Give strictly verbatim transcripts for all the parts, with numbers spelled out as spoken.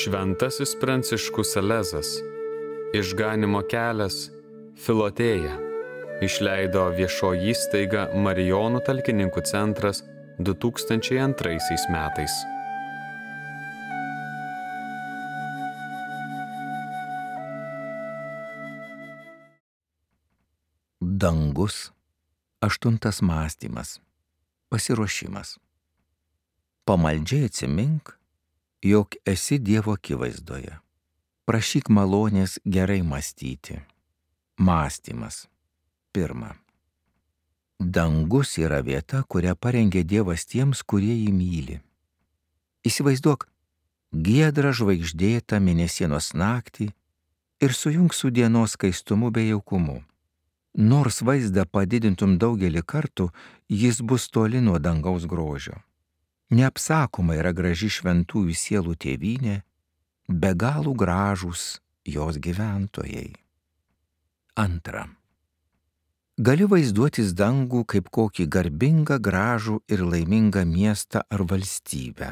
Šventasis Pranciškus Salezas, Išganymo kelias, Filotėja, išleido viešoji įstaiga Marijonų talkininkų centras du tūkstančiai antraisiais metais. Dangus. Aštuntas mąstymas. Pasiruošimas. Pamaldžiai atsimink, jog esi Dievo akivaizdoje. Prašyk malonės gerai mąstyti. Mąstymas. Pirma. Dangus yra vieta, kurią parengė Dievas tiems, kurie jį myli. Įsivaizduok giedrą žvaigždėtą mėnesienos naktį ir sujunk su dienos skaistumu bei jaukumu. Nors vaizdą padidintum daugelį kartų, jis bus toli nuo dangaus grožio. Neapsakoma yra graži šventųjų sielų tėvynė, be galų gražūs jos gyventojai. Antra. Gali vaizduotis dangų kaip kokį garbingą, gražų ir laimingą miestą ar valstybę.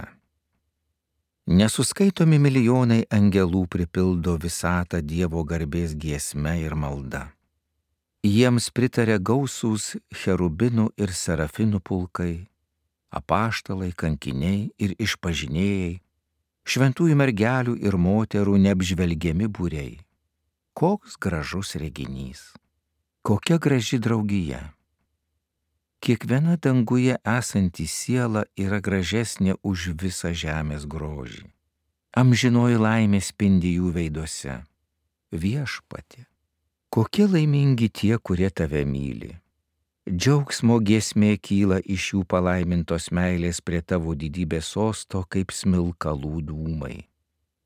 Nesuskaitomi milijonai angelų pripildo visatą Dievo garbės giesme ir malda. Jiems pritarė gausūs cherubinų ir serafinų pulkai, apaštalai, kankiniai ir išpažinėjai, šventųjų mergelių ir moterų neapžvelgiami būriai. Koks gražus reginys, kokia graži draugija. Kiekviena danguje esanti siela yra gražesnė už visą žemės grožį. Amžinoji laimė spindi jų veiduose. Viešpatie, kokie laimingi tie, kurie tave myli. Džiaugsmo giesmė kyla iš jų palaimintos meilės prie tavo didybės sosto kaip smilkalų dūmai.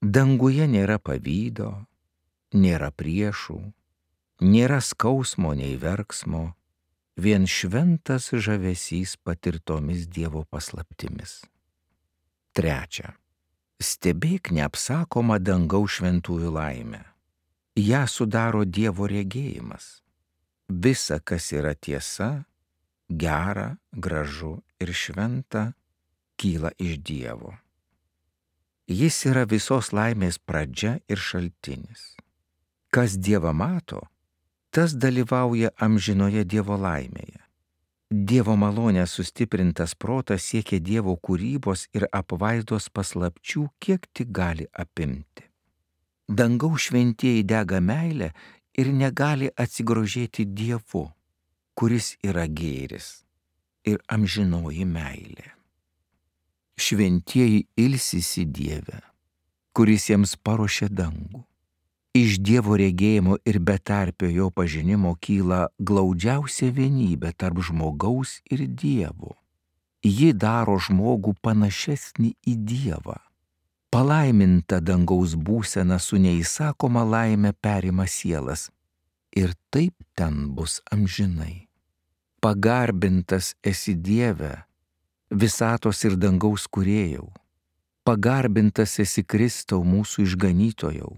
Danguje nėra pavydo, nėra priešų, nėra skausmo nei verksmo, vien šventas žavesys patirtomis Dievo paslaptimis. Trečia. Stebėk neapsakomą dangaus šventųjų laimę. Ja sudaro Dievo regėjimas. Visa, kas yra tiesa, gera, gražu ir šventa, kyla iš Dievo. Jis yra visos laimės pradžia ir šaltinis. Kas Dievą mato, tas dalyvauja amžinoje Dievo laimėje. Dievo malonė sustiprintas protas siekia Dievo kūrybos ir apvaizdos paslapčių, kiek tik gali apimti. Dangaus šventieji dega meilę ir negali atsigrožėti Dievu, kuris yra gėris ir amžinoji meilė. Šventieji ilsisi Dieve, kuris jiems paruošė dangų. Iš Dievo regėjimo ir betarpio jo pažinimo kyla glaudžiausia vienybė tarp žmogaus ir Dievo. Ji daro žmogų panašesnį į Dievą. Palaiminta dangaus būsena su neįsakoma laime perima sielas ir taip ten bus amžinai. Pagarbintas esi Dieve, visatos ir dangaus kūrėjau. Pagarbintas esi Kristau mūsų išganytojau.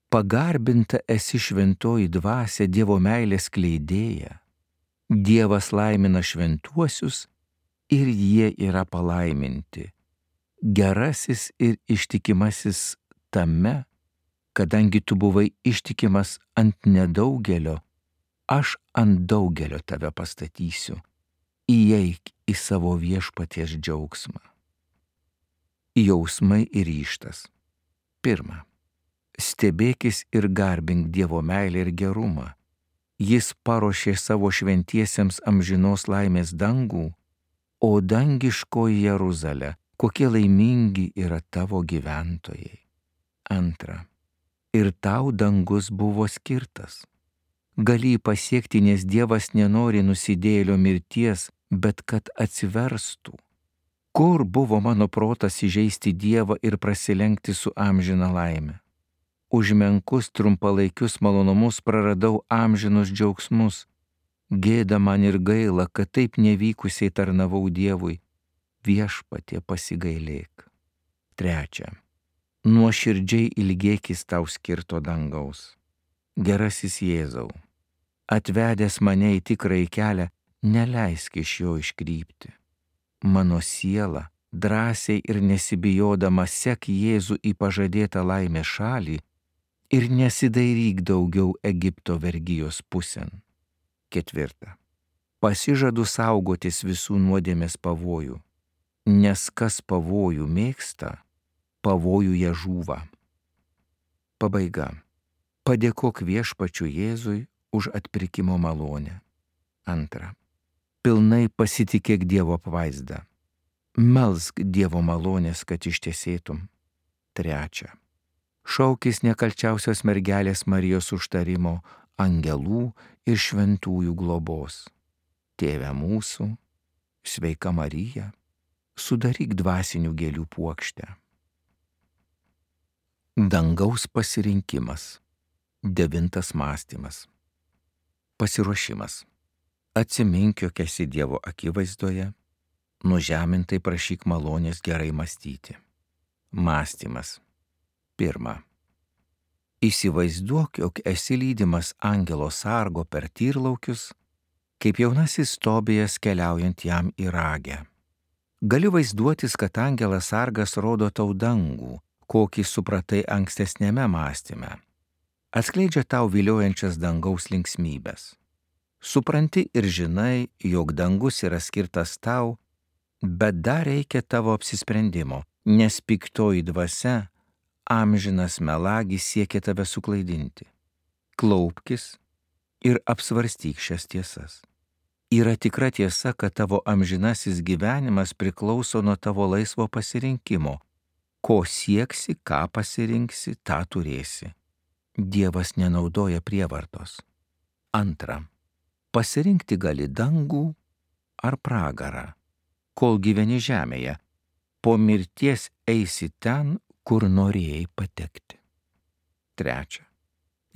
Pagarbinta esi šventoji dvasia Dievo meilės skleidėja. Dievas laimina šventuosius ir jie yra palaiminti. Gerasis ir ištikimasis tame, kadangi tu buvai ištikimas ant nedaugelio, aš ant daugelio tave pastatysiu. Įeik į savo viešpaties džiaugsmą. Jausmai ir ryžtas. Pirma. Stebėkis ir garbink Dievo meilę ir gerumą. Jis paruošė savo šventiesiems amžinos laimės dangų, o dangiškoji Jeruzalė, kokie laimingi yra tavo gyventojai. Antra. Ir tau dangus buvo skirtas. Gali jį pasiekti, nes Dievas nenori nusidėjėlio mirties, bet kad atsiverstų. Kur buvo mano protas įžeisti Dievą ir prasilenkti su amžina laime? Už menkus trumpalaikius malonumus praradau amžinus džiaugsmus. Gėda man ir gaila, kad taip nevykusiai tarnavau Dievui. Viešpatie, pasigailėk. Trečia. Nuoširdžiai ilgėkis tau skirto dangaus. Gerasis Jėzau, atvedęs mane į tikrąjį kelią, neleisk iš jo iškrypti. Mano siela drąsiai ir nesibijodama sek Jėzų į pažadėtą laimės šalį ir nesidairyk daugiau Egipto vergijos pusėn. Ketvirta. Pasižadu saugotis visų nuodėmės pavojų, nes kas pavojų mėgsta, pavojuje žūva. Pabaiga. Padėkok Viešpačiui Jėzui už atpirkimo malonę. Antra. Pilnai pasitikėk Dievo apvaizdą. Melsk Dievo malonės, kad ištiesėtum. Trečia. Šaukis nekalčiausios mergelės Marijos užtarimo, angelų ir šventųjų globos. Tėve mūsų, sveika Marija, sudaryk dvasinių gėlių puokštę. Dangaus pasirinkimas. Devintas mąstymas. Pasiruošimas. Atsimink, jog esi Dievo akivaizdoje, nužemintai prašyk malonės gerai mąstyti. Mąstymas. Pirma. Įsivaizduok, jog esi lydimas angelo sargo per tyrlaukius, kaip jaunasis Tobijas keliaujant jam į ragę. Gali vaizduotis, kad angelas sargas rodo tau dangų, kokį supratai ankstesnėme mąstyme. Atskleidžia tau viliojančias dangaus linksmybės. Supranti ir žinai, jog dangus yra skirtas tau, bet dar reikia tavo apsisprendimo, nes piktoji dvasia, amžinas melagis siekia tave suklaidinti. Klaupkis ir apsvarstyk šias tiesas. Yra tikra tiesa, kad tavo amžinasis gyvenimas priklauso nuo tavo laisvo pasirinkimo. Ko sieksi, ką pasirinksi, tą turėsi. Dievas nenaudoja prievartos. Antra. Pasirinkti gali dangų ar pragarą. Kol gyveni žemėje, po mirties eisi ten, kur norėjai patekti. Trečia.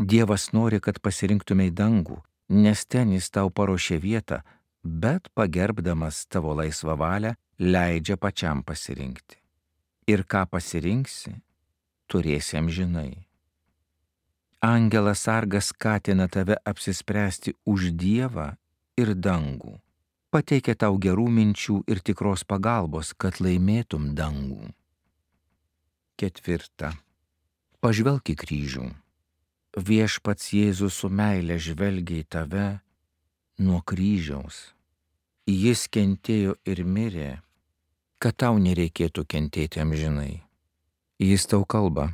Dievas nori, kad pasirinktumei dangų, nes ten jis tau paruošė vietą, bet pagerbdamas tavo laisvą valią, leidžia pačiam pasirinkti. Ir ką pasirinksi, turėsi amžinai. Angelas sargas skatina tave apsispręsti už Dievą ir dangų. Pateikia tau gerų minčių ir tikros pagalbos, kad laimėtum dangų. Ketvirta. Pažvelk į kryžių. Viešpats Jėzus su meile žvelgia į tave nuo kryžiaus. Jis kentėjo ir mirė, kad tau nereikėtų kentėti amžinai. Jis tau kalba: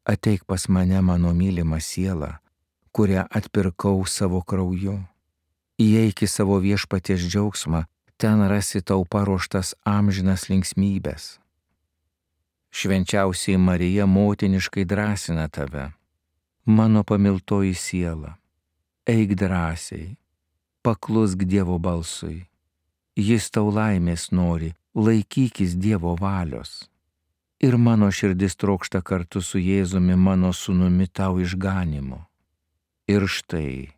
ateik pas mane, mano mylima siela, kurią atpirkau savo krauju. Įeik į savo viešpaties džiaugsmą, ten rasi tau paruoštas amžinas linksmybės. Švenčiausiai Marija motiniškai drąsina tave. Mano pamiltoji siela, eik drąsiai, paklusk Dievo balsui. Jis tau laimės nori, laikykis Dievo valios. Ir mano širdis trokšta kartu su Jėzumi, mano sūnumi, tau išganimo. Ir štai,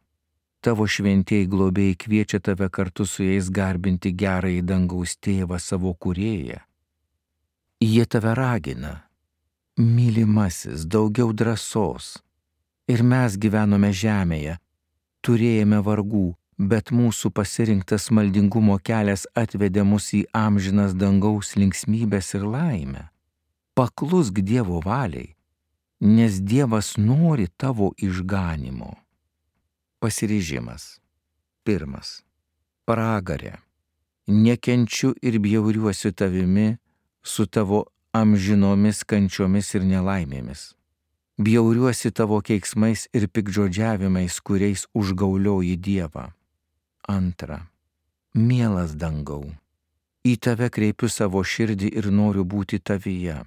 tavo šventieji globėjai kviečia tave kartu su jais garbinti gerąjį dangaus tėvą, savo kūrėją. Jie tave ragina: mylimasis, daugiau drąsos. Ir mes gyvenome žemėje, turėjome vargų, bet mūsų pasirinktas maldingumo kelias atvedė mus į amžinas dangaus linksmybės ir laimę. Paklusk Dievo valiai, nes Dievas nori tavo išganimo. Pasiryžimas. Pirmas. Pragarė. Nekenčiu ir bjauriuosiu tavimi su tavo amžinomis kančiomis ir nelaimėmis. Bjauriuosi tavo keiksmais ir piktžodžiavimais, kuriais užgaulioji Dievą. Antra. Mielas dangau, į tave kreipiu savo širdį ir noriu būti tavyje.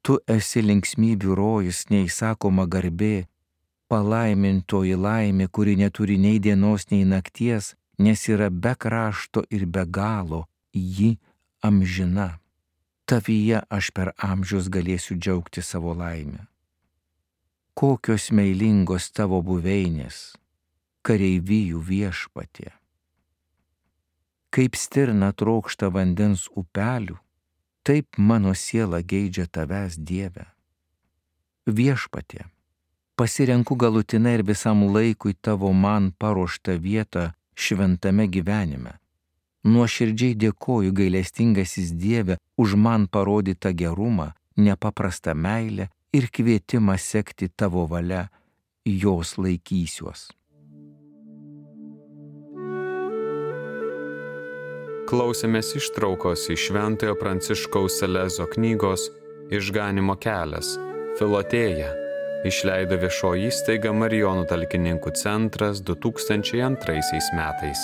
Tu esi linksmybių rojus, neįsakoma garbė, palaimintoji laimė, kuri neturi nei dienos, nei nakties, nes yra be krašto ir be galo, ji amžina. Tavyje aš per amžius galėsiu džiaugti savo laimę. Kokios meilingos tavo buveinės, kareivijų viešpatie. Kaip stirna trokšta vandens upelių, taip mano siela geidžia tavęs, Dieve. Viešpatie, pasirenku galutinai ir visam laikui tavo man paruoštą vietą šventame gyvenime. Nuoširdžiai dėkoju gailestingasis Dieve už man parodytą gerumą, nepaprastą meilę ir kvietimą sekti tavo valia, jos laikysiuos. Klausėmės ištraukos iš Šventojo Pranciškaus Salezo knygos Išganymo kelias – Filotėja. Išleido viešoji įstaiga Marijonų talkininkų centras du tūkstančiai antraisiais metais.